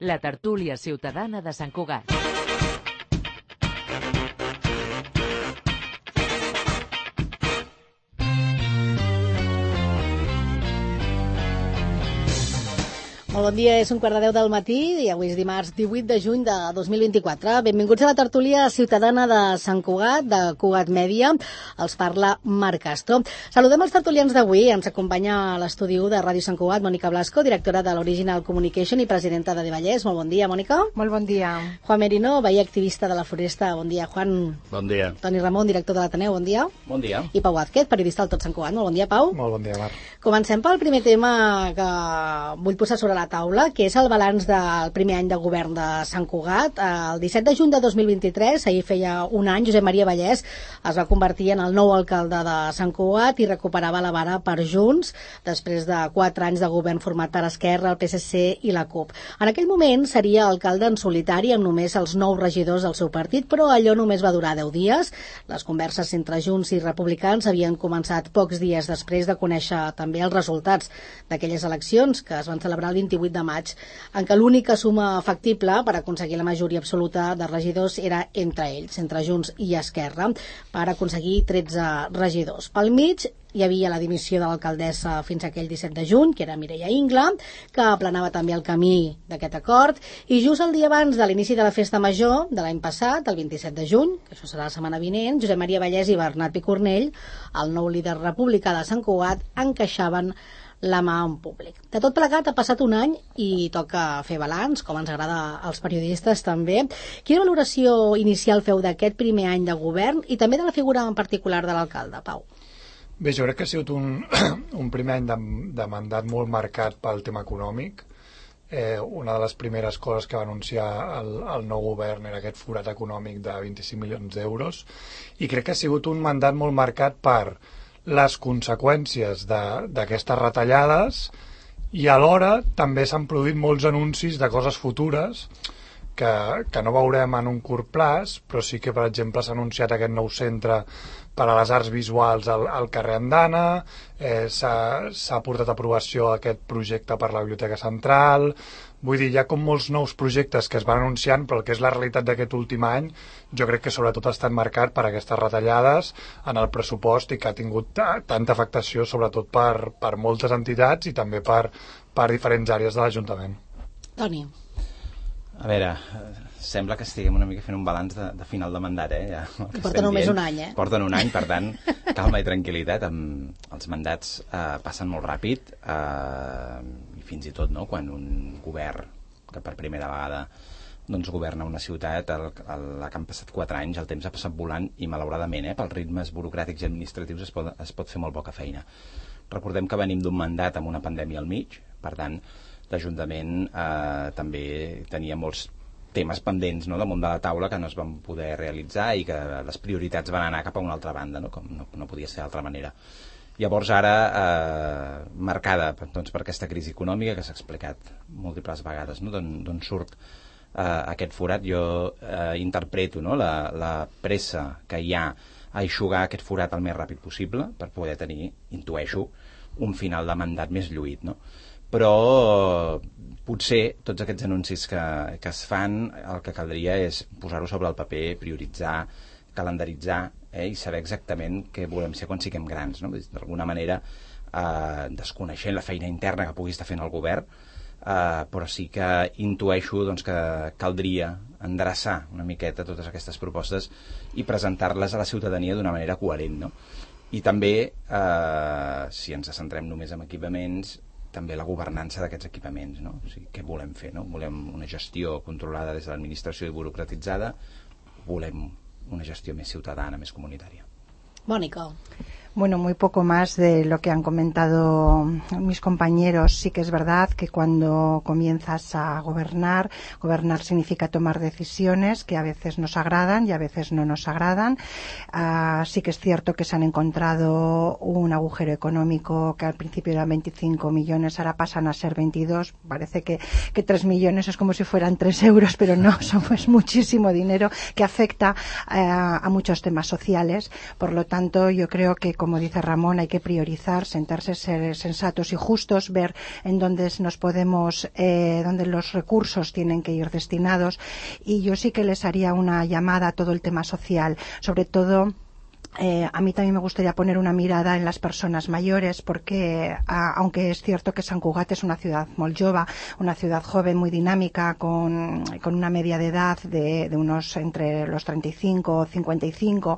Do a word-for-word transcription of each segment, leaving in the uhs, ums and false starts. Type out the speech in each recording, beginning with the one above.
la tertúlia ciutadana de Sant Cugat. Molt bon dia, és un quart de deu del matí i avui és dimarts divuit de juny de dos mil vint-i-quatre. Benvinguts a la tertúlia ciutadana de Sant Cugat, de Cugat Mèdia. Els parla Marc Castro. Saludem els tertulians d'avui. Ens acompanya a l'estudi u de Ràdio Sant Cugat, Mònica Blasco, directora de l'Original Communication i presidenta de Devallers. Molt bon dia, Mònica. Molt bon dia. Juan Merino, veí activista de la Floresta. Bon dia, Juan. Bon dia. Toni Ramon, director de l'Ateneu. Bon dia. Bon dia. I Pau Vázquez, periodista del Tot Sant Cugat. Molt bon dia, Pau. Molt bon dia, Marc. Comencem pel primer tema que vull posar sobre la taula, que és el balanç del primer any de govern de Sant Cugat. El disset de juny de dos mil vint-i-tres, ahir feia un any, Josep Maria Vallès es va convertir en el nou alcalde de Sant Cugat i recuperava la vara per Junts, després de quatre anys de govern format per Esquerra, el P S C i la CUP. En aquell moment seria alcalde en solitari amb només els nou regidors del seu partit, però allò només va durar deu dies. Les converses entre Junts i Republicans havien començat pocs dies després de conèixer també els resultats d'aquelles eleccions que es van celebrar el vint-i-vuit de maig, en què l'única suma factible per aconseguir la majoria absoluta de regidors era entre ells, entre Junts i Esquerra, per aconseguir tretze regidors. Pel mig hi havia la dimissió de l'alcaldessa fins aquell disset de juny, que era Mireia Ingla, que aplanava també el camí d'aquest acord, i just el dia abans de l'inici de la festa major de l'any passat, el vint-i-set de juny, que això serà la setmana vinent, Josep Maria Vallès i Bernat Picornell, el nou líder republicà de Sant Cugat, encaixaven la mà en públic. De tot plegat ha passat un any i toca fer balanç, com ens agrada als periodistes també. Quina valoració inicial feu d'aquest primer any de govern i també de la figura en particular de l'alcalde, Pau? Bé, jo crec que ha sigut un, un primer any de, de mandat molt marcat pel tema econòmic. Eh, una de les primeres coses que va anunciar el, el nou govern era aquest forat econòmic de vint-i-cinc milions d'euros, i crec que ha sigut un mandat molt marcat per les conseqüències d'aquestes retallades, i alhora també s'han produït molts anuncis de coses futures que, que no veurem en un curt plaç, però sí que, per exemple, s'ha anunciat aquest nou centre per a les arts visuals al, al carrer Andana, eh, s'ha portat a aprovació aquest projecte per la Biblioteca Central. Vull dir, hi ha com molts nous projectes que es van anunciant, però el que és la realitat d'aquest últim any jo crec que sobretot ha estat marcat per aquestes retallades en el pressupost i que ha tingut tanta afectació sobretot per, per moltes entitats i també per, per diferents àrees de l'Ajuntament. Toni. A veure, sembla que estiguem una mica fent un balanç de, de final de mandat, eh? Ja, porten només un any, eh? Porten un any, per tant, calma i tranquil·litat. Amb els mandats eh, passen molt ràpid, eh, i fins i tot, no?, quan un govern que per primera vegada doncs governa una ciutat, el, el, la que han passat quatre anys, el temps ha passat volant i malauradament, eh, pels ritmes burocràtics i administratius es pot, es pot fer molt poca feina. Recordem que venim d'un mandat amb una pandèmia al mig, per tant, l'Ajuntament eh, també tenia molts temes pendents, no?, damunt de la taula que no es van poder realitzar i que les prioritats van anar cap a una altra banda, no?, com no, no podia ser d'altra manera. Llavors ara, eh, marcada doncs, per aquesta crisi econòmica que s'ha explicat múltiples vegades, no?, d'on surt eh, aquest forat, jo eh, interpreto, no?, la, la pressa que hi ha a eixugar aquest forat el més ràpid possible per poder tenir, intueixo, un final de mandat més lluït, no? Però potser tots aquests anuncis que, que es fan, el que caldria és posar-ho sobre el paper, prioritzar, calendaritzar, eh, i saber exactament què volem ser quan siguem grans, no? D'alguna manera, eh, desconeixent la feina interna que pugui estar fent el govern, eh, però sí que intueixo doncs, que caldria endreçar una miqueta totes aquestes propostes i presentar-les a la ciutadania d'una manera coherent, no? I també, eh, si ens centrem només en equipaments, també la governança d'aquests equipaments, no? O sigui, què volem fer, no? Volem una gestió controlada des de l'administració i burocratitzada, volem una gestió més ciutadana, més comunitària. Mònica. Bueno, muy poco más de lo que han comentado mis compañeros. Sí que es verdad que cuando comienzas a gobernar, gobernar significa tomar decisiones que a veces nos agradan y a veces no nos agradan. Uh, sí que es cierto que se han encontrado un agujero económico que al principio eran veinticinco millones, ahora pasan a ser veintidós. Parece que, que tres millones es como si fueran tres euros, pero no, son pues muchísimo dinero que afecta uh, a muchos temas sociales. Por lo tanto, yo creo que como dice Ramón, hay que priorizar, sentarse, ser sensatos y justos, ver en dónde nos podemos, eh, dónde los recursos tienen que ir destinados. Y yo sí que les haría una llamada a todo el tema social, sobre todo. Eh, a mí también me gustaría poner una mirada en las personas mayores porque, a, aunque es cierto que Sant Cugat es una ciudad molt jove, una ciudad joven muy dinámica con, con una media de edad de, de unos entre los treinta y cinco o cincuenta y cinco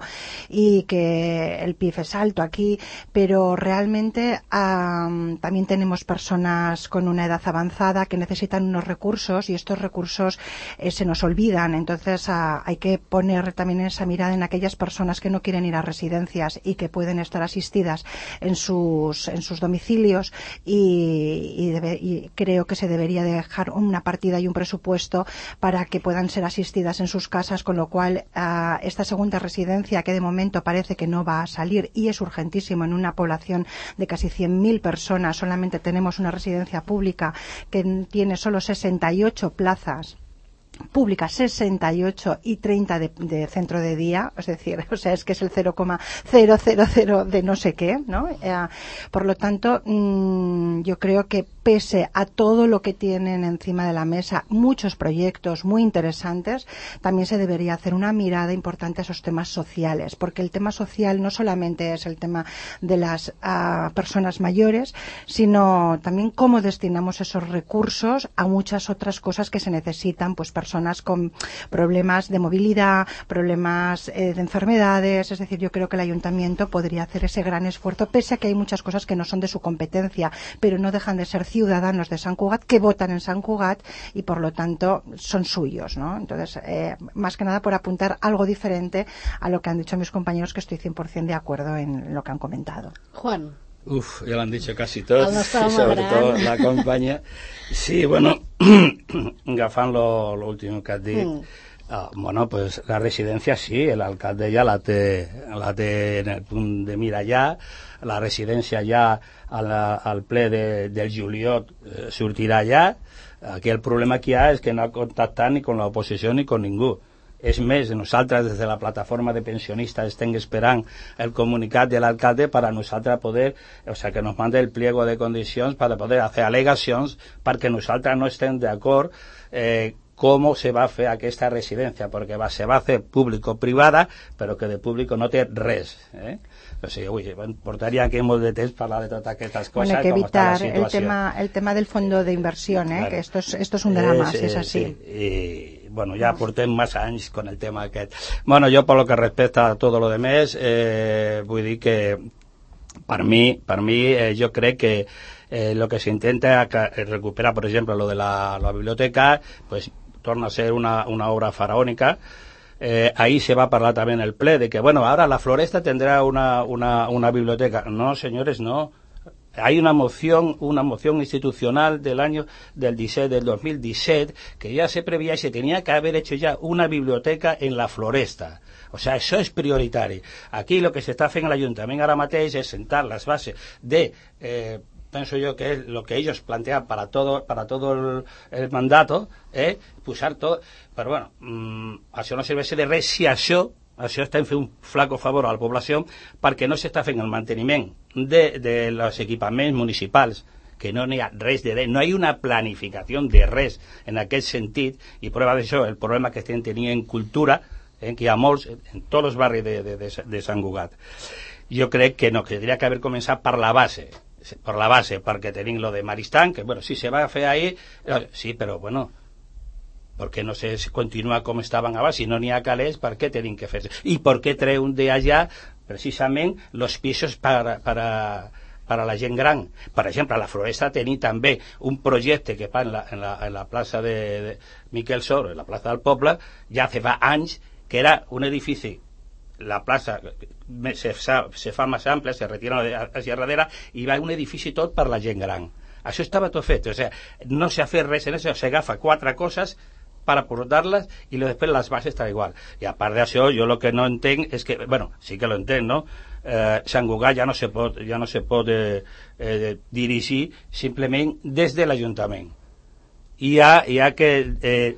y que el P I B es alto aquí, pero realmente um, también tenemos personas con una edad avanzada que necesitan unos recursos y estos recursos eh, se nos olvidan. Entonces uh, hay que poner también esa mirada en aquellas personas que no quieren ir a residencias y que pueden estar asistidas en sus en sus domicilios y, y, debe, y creo que se debería dejar una partida y un presupuesto para que puedan ser asistidas en sus casas, con lo cual uh, esta segunda residencia, que de momento parece que no va a salir y es urgentísimo en una población de casi cien mil personas, solamente tenemos una residencia pública que tiene solo sesenta y ocho plazas pública, sesenta y ocho y treinta de, de centro de día, es decir, o sea, es que es el cero coma cero cero cero de no sé qué, ¿no? Eh, por lo tanto, mmm, yo creo que pese a todo lo que tienen encima de la mesa, muchos proyectos muy interesantes, también se debería hacer una mirada importante a esos temas sociales, porque el tema social no solamente es el tema de las uh, personas mayores, sino también cómo destinamos esos recursos a muchas otras cosas que se necesitan, pues personas con problemas de movilidad, problemas eh, de enfermedades. Es decir, yo creo que el ayuntamiento podría hacer ese gran esfuerzo, pese a que hay muchas cosas que no son de su competencia, pero no dejan de ser ciudadanos de Sant Cugat que votan en Sant Cugat y por lo tanto son suyos, ¿no? Entonces, eh, más que nada por apuntar algo diferente a lo que han dicho mis compañeros, que estoy cien por ciento de acuerdo en lo que han comentado. Juan. Uf, ya lo han dicho casi todos, y sobre gran. todo la compañía. Sí, bueno, agafant lo, lo último que has dit, mm. uh, bueno, pues la residència sí, l'alcalde ja la té, la té en el punt de mira ja, la residència ja al, al ple de, del juliol eh, sortirà ja. Aquí el problema que hi ha és que no ha contactat ni con l'oposició ni con ningú. És més, nosaltres des de la plataforma de pensionistas estem esperant el comunicat de l'alcalde para nosaltres poder, o sea, que nos mande el pliego de condicions para poder hacer alegacions perquè nosaltres no estem d'acord eh, com se va a fer aquesta residència, perquè va, se va a fer público-privada, però que de público no té res. Eh? O sigui, ui, portaria aquí molt de temps parlar de totes aquestes coses. Bueno, hay que evitar el tema, el tema del fondo de inversión, ¿eh? Claro. Que esto es, esto es un drama, si es, es así. Sí. Y, bueno, ya portem más anys con el tema aquest. Bueno, yo por lo que respecta a todo lo demás, eh, vull dir que per mi, per mi eh, jo crec que eh, lo que se intenta recuperar, por ejemplo, lo de la, la biblioteca, pues torna a ser una, una obra faraónica. Eh, ahí se va a hablar también el ple de que, bueno, ahora la Floresta tendrá una, una, una biblioteca. No, señores, no. Hay una moción, una moción institucional del año del diecisiete, del dos mil diecisiete, que ya se preveía y se tenía que haber hecho ya una biblioteca en la Floresta. O sea, eso es prioritario. Aquí lo que se está haciendo en el Ayuntamiento ara mateix es sentar las bases de... Eh, pienso yo que es lo que ellos plantean para todo para todo el, el mandato, eh, posar todo, però bueno, mmm, això no serveix de res si això, això està fent un flaco favor a la població perquè no s'està fent el manteniment de, de los equipaments municipals, que no n'hi ha res de res, no hi ha una planificació de res en aquest sentit, i prova d'això el problema que estem tenint en cultura, eh, que hi ha molts en tots els barris de, de, de, de Sant Cugat. Jo crec que no, que tindria que haver començat per la base, por la base, porque tenéis lo de Maristán, que bueno, sí se va a hacer ahí, sí, pero bueno, ¿por qué no se continúa como estaban abans? Si no n'hi ha calés, ¿por qué tienen que hacerse? ¿Y por qué trae un de allá, precisamente, los pisos para, para, para la gent gran? Per exemple, a la Floresta tenim també un projecte que fa en la, en la, en la plaça de, de Miquel Soro, en la plaça del Poble, ja fa anys, que era un edifici, la plaça se fa, se fa més ampla, se retira hacia darrere i va un edifici tot per la gent gran. Això estava tot fet, o sea, no se ha fet res en això, se agafa quatre coses para aportarlas y después las bases está igual. Y aparte de eso, yo lo que no entenc es que, bueno, sí que lo entenc, no? Eh, Sant Cugat ja no se pot, ja no se pot eh, eh, dirigir simplement des de l'Ajuntament. I hi ha, hi ha que... Eh,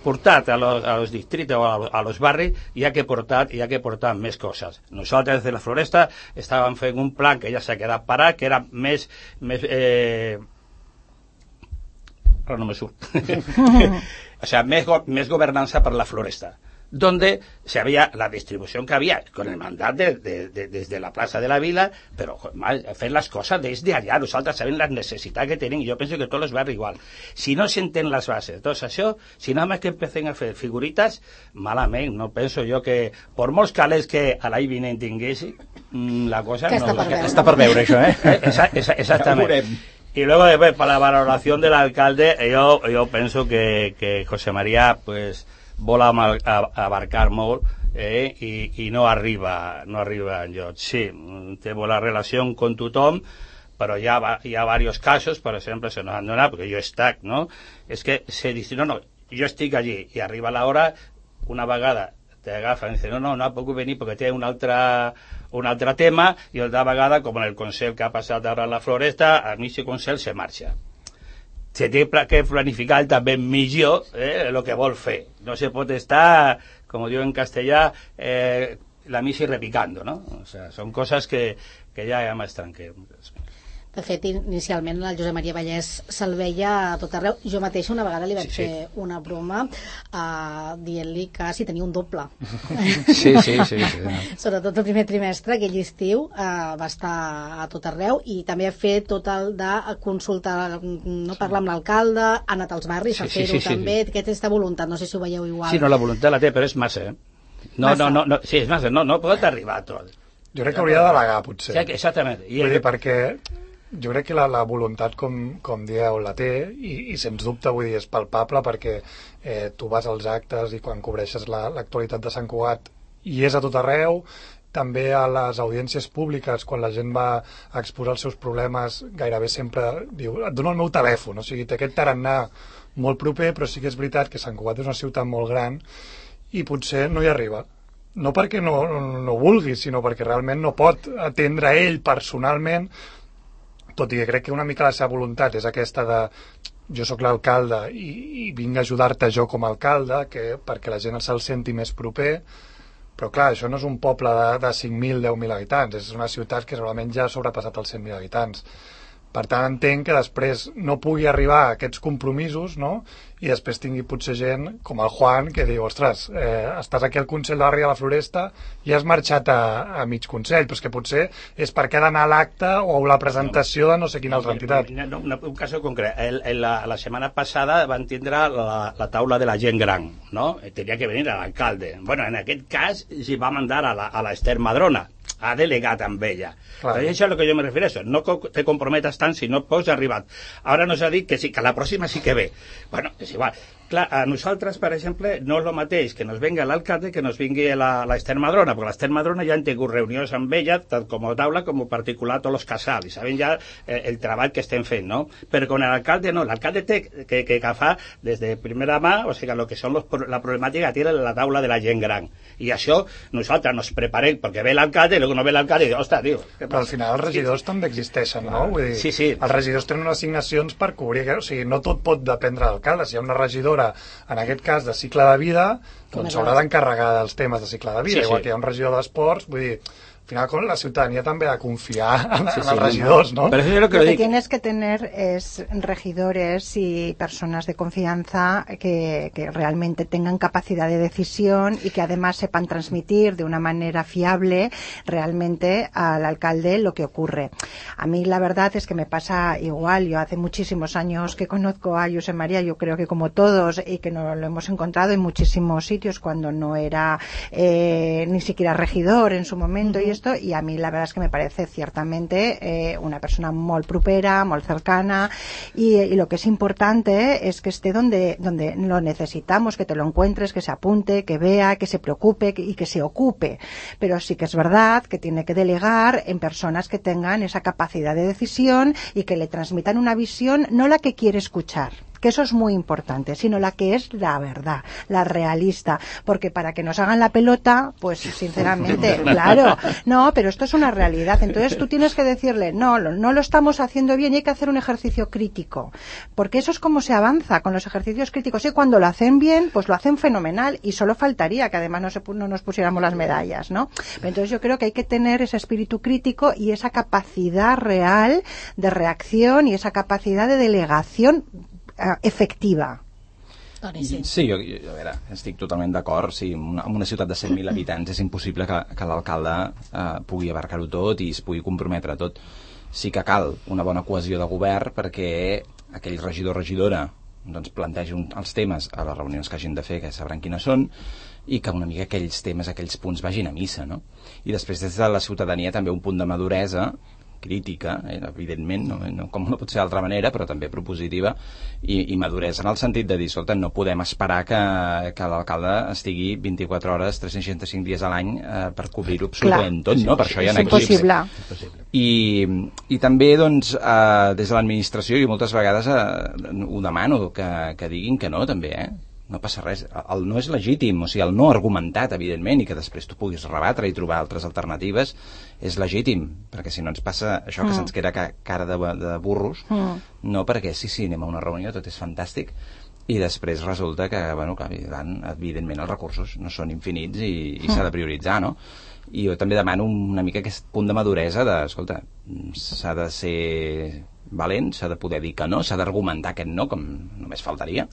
portat a los, a los distritos o a, a los barris hi ha que portar, hi ha que portar més coses. Nosaltres de la Floresta estàvem fent un plan que ja s'ha quedat parat, que era més, més eh... ara no me surt o sea, més, go més governança per la Floresta, donde se había la distribución que había con el mandat de, de, de, desde la plaza de la Vila, pero hacer las cosas desde allá. Nosaltres sabem la necessitat que tenim, i jo penso que tots els barris igual. Si no senten les bases, tot això, si nada más que empecen a fer figuritas, malament, no penso jo que, per molts calés que a l'any vinent tinguessi, la cosa que no... Està per veure. Està per veure, això, eh? Esa, esa, exactament. Y luego después, para la valoración del alcalde, yo, yo pienso que, que José María, pues, vol a, a abarcar molt eh, i, i no arriba no arriba enlloc. Sí, té bona relació con tothom, però hi ha, hi ha diversos casos, per exemple, se nos han donat, perquè jo he estat, no? És que se dice, no, no, jo estic allí, i arriba l'hora, una vegada t'agafen i dice, no, no, no puc venir perquè té un altre, un altre tema, i altra vegada, com en el Consell que ha passat ara a la Floresta, a mig de Consell se marxa. Se té que planificar també millor eh, el que vol fer. No se pot estar, com diu en castellà, eh, la misa y repicando, ¿no? O sea, son cosas que, que ya es más tranquilo. De fet, inicialment el Josep Maria Vallès se'l veia a tot arreu. Jo mateixa una vegada li vaig sí, sí. fer una broma uh, dient-li que si tenia un doble. Sí, sí, sí. sí. Sobretot el primer trimestre, aquell estiu, uh, va estar a tot arreu, i també ha fet tot el de consultar, no parlar amb l'alcalde, ha anat als barris sí, a fer-ho sí, sí, també, sí. Aquesta voluntat, no sé si ho veieu igual. Sí, no, la voluntat la té, però és massa, eh? No, massa. no, no, no, sí, és massa, no, no pot arribar a tot. Jo crec que hauria de delegar, potser. Sí, exactament. I vull dir, perquè jo crec que la, la voluntat, com, com dieu, la té, i, i sens dubte, vull dir, és palpable, perquè eh, tu vas als actes i quan cobreixes l'actualitat la, de Sant Cugat i és a tot arreu, també a les audiències públiques, quan la gent va a exposar els seus problemes, gairebé sempre diu, et dono el meu telèfon, o sigui, té aquest tarannà molt proper, però sí que és veritat que Sant Cugat és una ciutat molt gran i potser no hi arriba. No perquè no, no, no vulgui, sinó perquè realment no pot atendre ell personalment, tot i que crec que una mica la seva voluntat és aquesta de jo sóc l'alcalde i, i vinc a ajudar-te jo com a alcalde, que, perquè la gent se'l senti més proper, però clar, això no és un poble de, de cinc mil, deu mil habitants, és una ciutat que segurament ja ha sobrepassat els cent mil habitants. Per tant, entenc que després no pugui arribar a aquests compromisos, no?, i després tingui potser gent com el Juan que diu, ostres, eh, estàs aquí al Consell de Barri de la Floresta i has marxat a, a mig Consell, però és que potser és perquè ha d'anar a l'acte o a la presentació de no sé quina altra entitat. No, no, un cas concret, el, el, la, la setmana passada van tindre la, la taula de la gent gran, no? Tenia que venir l'alcalde. Bueno, en aquest cas s'hi va mandar a la, a la Esther Madrona, ha delegat amb ella. Clar. Però això és el que jo me refereixo. No te comprometes tant si no pots arribar. Ara nos ha dit que sí, que la pròxima sí que ve. Bueno, és igual. Clar, a nosaltres, per exemple, no és el mateix que nos venga l'alcalde que nos vingui la, la Esther Madrona, perquè l'Esther Madrona ja han tingut reunions amb ella, tant com a taula com a particular tots els casals, i saben ja eh, el treball que estem fent, no? Però con l'alcalde no, l'alcalde té que, que agafar des de primera mà, o sigui, lo que són los, la problemàtica que té la taula de la gent gran. I això nosaltres nos preparem, perquè ve l'alcalde i luego no ve l'alcalde i diu, ostres, tio, què passa? Però al final els regidors sí. també existeixen, no? Vull dir, sí, sí. Els regidors tenen unes assignacions per cobrir, o sigui, no tot pot dependre de l'alcalde. Si hi ha una regidora, en aquest cas de cicle de vida, doncs s'haurà d'encarregar dels temes de cicle de vida, sí, igual sí. que hi ha un regidor d'esports, vull dir, al final con la ciudadanía también ha de confiar en, sí, en sí, los regidores, ¿no? Pero eso es lo que, lo que tienes que tener es regidores y personas de confianza que, que realmente tengan capacidad de decisión y que además sepan transmitir de una manera fiable realmente al alcalde lo que ocurre. A mí la verdad es que me pasa igual. Yo hace muchísimos años que conozco a Josep María, yo creo que como todos, y que nos lo hemos encontrado en muchísimos sitios cuando no era eh, ni siquiera regidor en su momento. Uh-huh. Y esto, y a mí la verdad es que me parece ciertamente eh, una persona molt propera, molt cercana, y, y lo que es importante es que esté donde, donde lo necesitamos, que te lo encuentres, que se apunte, que vea, que se preocupe que, y que se ocupe. Pero sí que es verdad que tiene que delegar en personas que tengan esa capacidad de decisión y que le transmitan una visión, no la que quiere escuchar, que eso es muy importante, sino la que es la verdad, la realista, porque para que nos hagan la pelota, pues sinceramente, claro, no, pero esto es una realidad, entonces tú tienes que decirle, no, no lo estamos haciendo bien y hay que hacer un ejercicio crítico, porque eso es como se avanza con los ejercicios críticos, y cuando lo hacen bien, pues lo hacen fenomenal, y solo faltaría que además no, se, no nos pusiéramos las medallas, ¿no? Pero entonces yo creo que hay que tener ese espíritu crítico y esa capacidad real de reacción y esa capacidad de delegación uh, efectiva. Sí, sí jo, jo, a veure, estic totalment d'acord. Sí, en una, una ciutat de cent mil habitants és impossible que, que l'alcalde eh, pugui abarcar-ho tot i es pugui comprometre a tot. Sí que cal una bona cohesió de govern perquè aquell regidor o regidora doncs, plantegi un, els temes a les reunions que hagin de fer, que sabran quines són, i que una mica aquells temes, aquells punts vagin a missa, no? I després des de la ciutadania també un punt de maduresa crítica, eh, evidentment, no, no, com no pot ser d'altra manera, però també propositiva, i, i maduresa en el sentit de dir, escolta, no podem esperar que, que l'alcalde estigui vint-i-quatre hores, tres cents seixanta-cinc dies a l'any eh, per cobrir-ho absolutament tot, no? Per això hi ha equips. I, i també, doncs, eh, des de l'administració, jo moltes vegades eh, ho demano, que, que diguin que no, també, eh? No passa res, el no és legítim, o sigui, el no argumentat, evidentment, i que després tu puguis rebatre i trobar altres alternatives, és legítim, perquè si no ens passa això que mm. se'ns queda cara de, de burros, mm. no perquè sí, sí, anem a una reunió, tot és fantàstic, i després resulta que, bueno, que evidentment els recursos no són infinits i, i mm. s'ha de prioritzar, no? I jo també demano una mica aquest punt de maduresa de, escolta, s'ha de ser valent, s'ha de poder dir que no, s'ha d'argumentar aquest no, com només faltaria,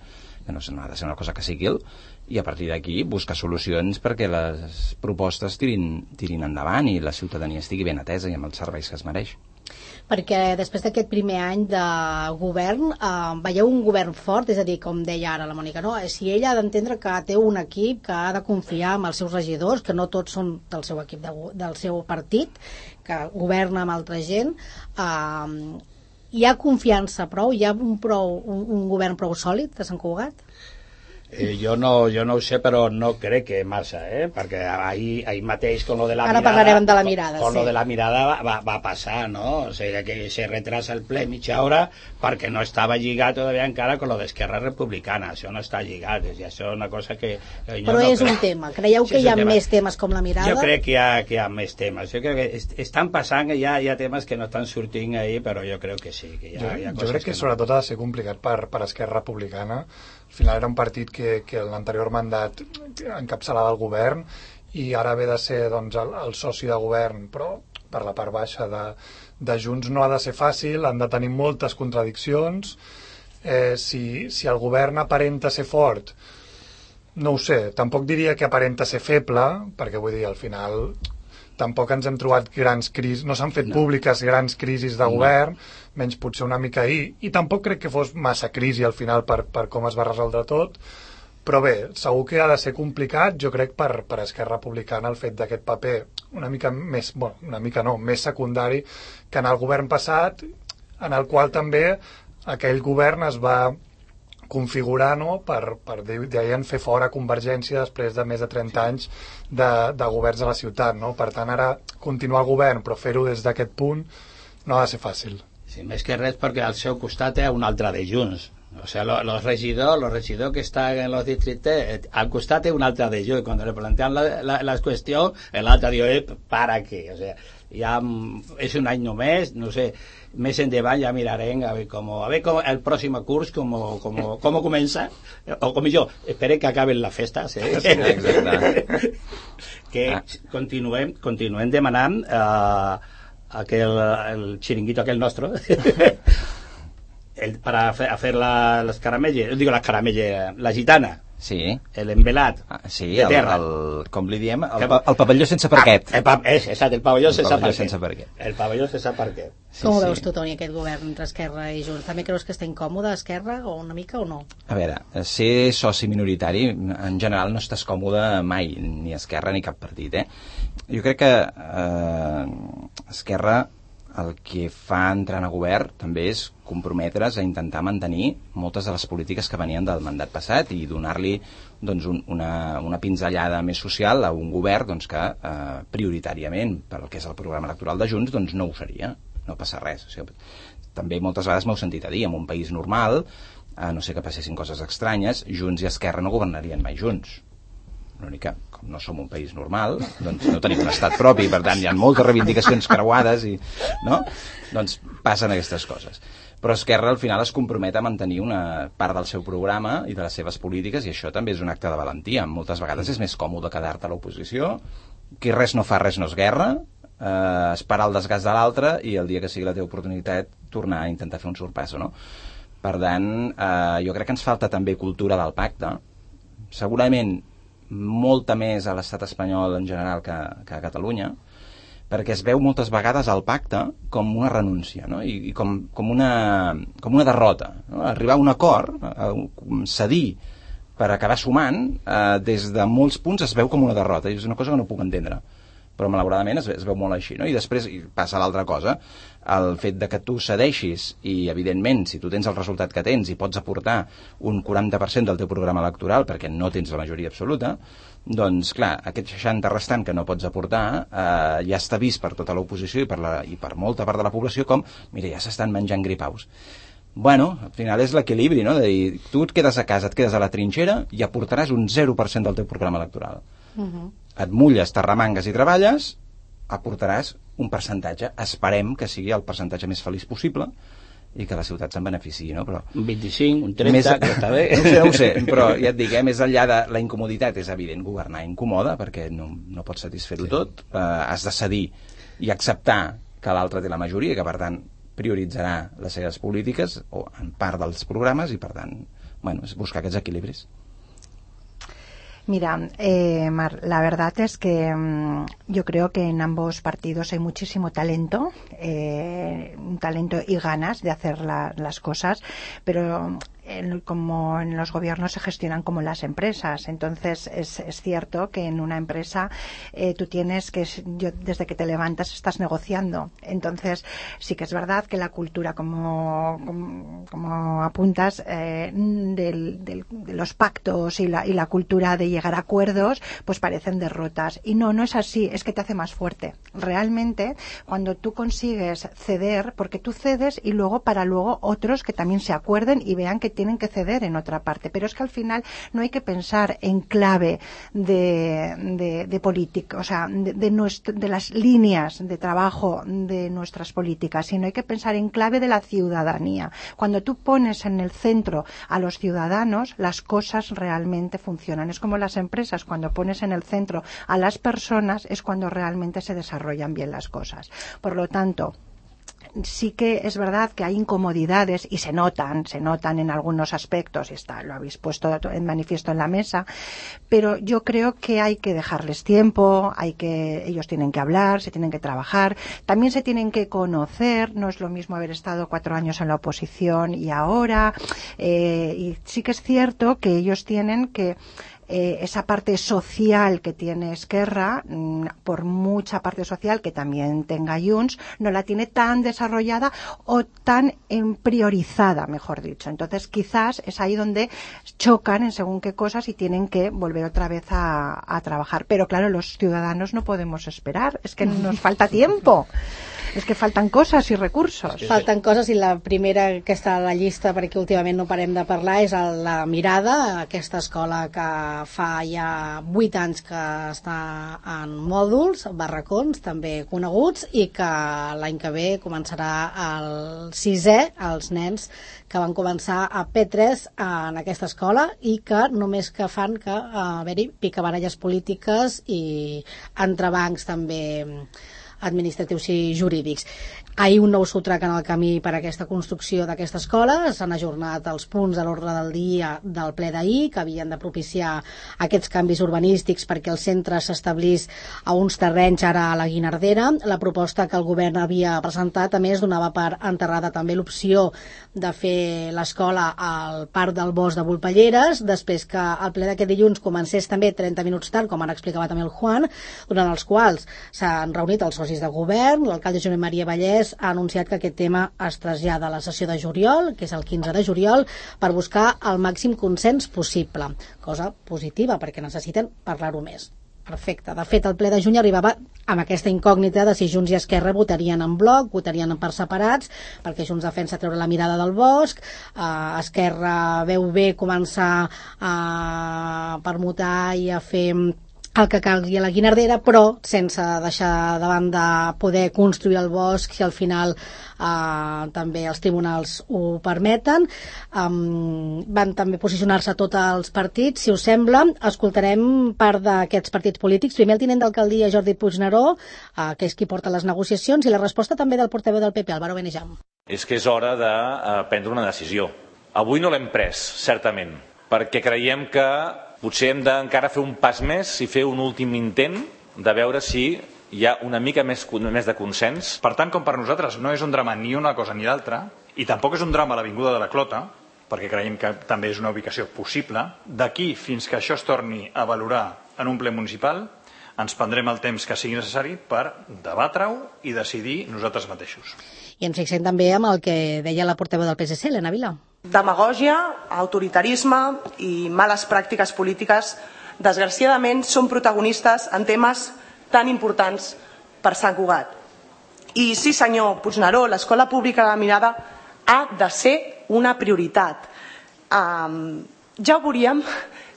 que no ha de ser una cosa que sigui el, i a partir d'aquí buscar solucions perquè les propostes tirin, tirin endavant i la ciutadania estigui ben atesa i amb els serveis que es mereix. Perquè després d'aquest primer any de govern eh, veieu un govern fort, és a dir, com deia ara la Mònica, no? Si ella ha d'entendre que té un equip, que ha de confiar en els seus regidors, que no tots són del seu equip, de, del seu partit, que governa amb altra gent, eh, hi ha confiança prou? Hi ha un, prou, un, un govern prou sòlid de Sant Cugat? Eh, jo, no, jo no ho sé, però no crec que massa, eh? Perquè ahir, ahir mateix con lo de la Ara mirada... Ara parlarem de la mirada, con, con sí. lo de la mirada va, va, va passar, no? O sigui, que se retrasa el ple mitja hora perquè no estava lligat todavía encara con lo d'Esquerra Republicana. Això no està lligat, i això és una cosa que... que però no és crec. un tema. Creieu sí, que hi ha tema. més temes com la mirada? Jo crec que hi ha, que hi ha més temes. Jo crec que est estan passant, hi ha, hi ha temes que no estan sortint ahir, però jo crec que sí. Que hi ha, jo, hi ha jo crec que, que no. sobretot ha de ser complicat per, per Esquerra Republicana. Al final era un partit que, que en l'anterior mandat encapçalava el govern i ara ve de ser doncs, el, el soci de govern, però per la part baixa de, de Junts no ha de ser fàcil, han de tenir moltes contradiccions. Eh, si, si el govern aparenta ser fort, no ho sé, tampoc diria que aparenta ser feble, perquè vull dir, al final tampoc ens hem trobat grans crisis, no s'han fet no. públiques grans crisis de govern, no. menys potser una mica ahir, i tampoc crec que fos massa crisi al final per, per com es va resoldre tot, però bé, segur que ha de ser complicat, jo crec, per, per Esquerra Republicana el fet d'aquest paper una mica més, bueno, una mica no, més secundari que en el govern passat, en el qual també aquell govern es va configurar, no?, per, per deien fer fora Convergència després de més de trenta anys de, de governs a la ciutat, no? Per tant, ara continuar el govern però fer-ho des d'aquest punt no ha de ser fàcil. Sí, més que res perquè al seu costat hi ha un altre de Junts. O sea, los, los regidores, los regidores que están en los distritos, al costat un altre de Junts. Cuando le plantean la, la, la cuestión, el altre diu, eh, ¿para qué? O sea, ya es un any només, no sé, més endavant ja mirarem a ver cómo, a ver cómo el próximo curs cómo, cómo, cómo comença, o com jo, espere que acaben les festes, eh? Sí, exacte. Que ah. continuem, continuem demanant eh, aquel, el xiringuito aquel nostre, el, para hacer, hacer la, las caramelles, digo las caramelles, la gitana. Sí. L'embelat ah, sí, de terra. El, el, com li diem, el, el pavelló sense parquet. Ah, el, pa, és, exacte, el pavelló, el sense, pavelló parquet. sense parquet. El pavelló sense parquet. Sí, com ho sí. veus tu, Toni, aquest govern entre Esquerra i Junts? També creus que està incòmode Esquerra, o una mica, o no? A veure, ser soci minoritari, en general no estàs còmode mai, ni Esquerra ni cap partit, eh? Jo crec que eh, Esquerra el que fa entrant a govern també és comprometre's a intentar mantenir moltes de les polítiques que venien del mandat passat i donar-li doncs, un, una, una pinzellada més social a un govern doncs, que eh, prioritàriament per el que és el programa electoral de Junts doncs, no ho seria, no passa res. O sigui, també moltes vegades m'heu sentit a dir, en un país normal a no ser que passessin coses estranyes, Junts i Esquerra no governarien mai junts. L'únic que, com no som un país normal, doncs no tenim un estat propi, per tant hi ha moltes reivindicacions creuades i, no? Doncs passen aquestes coses. Però Esquerra al final es compromet a mantenir una part del seu programa i de les seves polítiques, i això també és un acte de valentia. Moltes vegades és més còmode quedar-te a l'oposició, qui res no fa, res no és guerra, eh, esperar el desgast de l'altre i el dia que sigui la teva oportunitat tornar a intentar fer un sorpasso, no? Per tant, eh, jo crec que ens falta també cultura del pacte. Segurament molta més a l'estat espanyol en general que, que a Catalunya, perquè es veu moltes vegades el pacte com una renúncia, no? I, i com, com, una, com una derrota, no? Arribar a un acord, a, a cedir per acabar sumant, eh, des de molts punts es veu com una derrota, i és una cosa que no puc entendre, però malauradament es, es veu molt així, no? I després i passa l'altra cosa, el fet de que tu cedeixis i, evidentment, si tu tens el resultat que tens i pots aportar un quaranta per cent del teu programa electoral perquè no tens la majoria absoluta, doncs, clar, aquest seixanta restant que no pots aportar eh, ja està vist per tota l'oposició i, per la, i per molta part de la població com, mira, ja s'estan menjant gripaus. Bueno, al final és l'equilibri, no? De dir, tu et quedes a casa, et quedes a la trinxera i aportaràs un zero per cent del teu programa electoral. Uh-huh. Et mulles, t'arremangues i treballes, aportaràs un percentatge, esperem que sigui el percentatge més feliç possible i que la ciutat se'n beneficiï, no? Però un vint-i-cinc, un trenta, més, que està bé. No ho sé, no ho sé, però ja et dic, eh, més enllà de la incomoditat, és evident, governar incomoda, perquè no, no pots satisfer-ho sí. tot, eh, has de cedir i acceptar que l'altre té la majoria i que, per tant, prioritzarà les seves polítiques, o en part dels programes, i, per tant, bueno, és buscar aquests equilibris. Mira, eh, Mar, la verdad es que mmm, yo creo que en ambos partidos hay muchísimo talento, eh, un talento y ganas de hacer la, las cosas, pero en, como en los gobiernos se gestionan como las empresas, entonces es, es cierto que en una empresa eh, tú tienes que, yo, desde que te levantas estás negociando, entonces sí que es verdad que la cultura, como, como, como apuntas, eh, del, del, de los pactos y la, y la cultura de llegar a acuerdos, pues parecen derrotas, y no, no es así, es que te hace más fuerte. Realmente, cuando tú consigues ceder, porque tú cedes y luego para luego otros que también se acuerden y vean que tienen que ceder en otra parte, pero es que al final no hay que pensar en clave de, de, de política, o sea, de, de, nuestro, de las líneas de trabajo de nuestras políticas, sino hay que pensar en clave de la ciudadanía. Cuando tú pones en el centro a los ciudadanos, las cosas realmente funcionan. Es como las empresas, cuando pones en el centro a las personas, es cuando realmente se desarrollan bien las cosas. Por lo tanto, sí que es verdad que hay incomodidades y se notan, se notan en algunos aspectos, y está, lo habéis puesto en manifiesto en la mesa, pero yo creo que hay que dejarles tiempo, hay que, ellos tienen que hablar, se tienen que trabajar, también se tienen que conocer, no es lo mismo haber estado cuatro años en la oposición y ahora, eh, y sí que es cierto que ellos tienen que Eh, esa parte social que tiene Esquerra, por mucha parte social que también tenga Junts, no la tiene tan desarrollada o tan en priorizada, mejor dicho. Entonces quizás es ahí donde chocan en según qué cosas y tienen que volver otra vez a, a trabajar. Pero claro, los ciudadanos no podemos esperar, es que nos falta tiempo. És que falten coses i recursos. Falten coses, i la primera que està a la llista, perquè últimament no parem de parlar, és la Mirada, aquesta escola que fa ja vuit anys que està en mòduls, barracons, també coneguts, i que l'any que ve començarà el sisè, els nens que van començar a P tres en aquesta escola, i que només que fan que haver-hi picabaralles polítiques i entrebancs també administratius i jurídics. Ahir un nou sotrac en el camí per a aquesta construcció d'aquesta escola. S'han ajornat els punts a l'ordre del dia del ple d'ahir, que havien de propiciar aquests canvis urbanístics perquè el centre s'establís a uns terrenys ara a la Guinardera. La proposta que el govern havia presentat, a més, donava per enterrada també l'opció de fer l'escola al Parc del Bosc de Volpelleres, després que el ple d'aquest dilluns comencés també trenta minuts tard, com ara explicava també el Juan, durant els quals s'han reunit els socis de govern. L'alcalde Josep Maria Vallès ha anunciat que aquest tema es trasllada a la sessió de juliol, que és el quinze de juliol, per buscar el màxim consens possible. Cosa positiva, perquè necessiten parlar-ho més. Perfecte. De fet, el ple de juny arribava amb aquesta incògnita de si Junts i Esquerra votarien en bloc, votarien per separats, perquè Junts defensa treure la mirada del bosc, eh, Esquerra veu bé començar a permutar i a fer el que calgui a la Guinardera, però sense deixar de banda poder construir el bosc si al final eh, també els tribunals ho permeten. Um, van també posicionar-se tots els partits. Si us sembla, escoltarem part d'aquests partits polítics. Primer el tinent d'alcaldia Jordi Puigneró, eh, que és qui porta les negociacions, i la resposta també del portaveu del P P, Álvaro Benejam. És que és hora de eh, prendre una decisió. Avui no l'hem pres, certament, perquè creiem que potser hem d'encara fer un pas més i fer un últim intent de veure si hi ha una mica més, més de consens. Per tant, com per nosaltres no és un drama ni una cosa ni l'altra, i tampoc és un drama l'Avinguda de la Clota, perquè creiem que també és una ubicació possible, d'aquí fins que això es torni a valorar en un ple municipal, ens prendrem el temps que sigui necessari per debatre-ho i decidir nosaltres mateixos. I ens fixem també amb el que deia la portaveu del P S C, Elena Vila. Demagògia, autoritarisme i males pràctiques polítiques, desgraciadament, són protagonistes en temes tan importants per Sant Cugat. I sí, senyor Puigneró, l'escola pública de la Mirada ha de ser una prioritat. Um, ja ho veuríem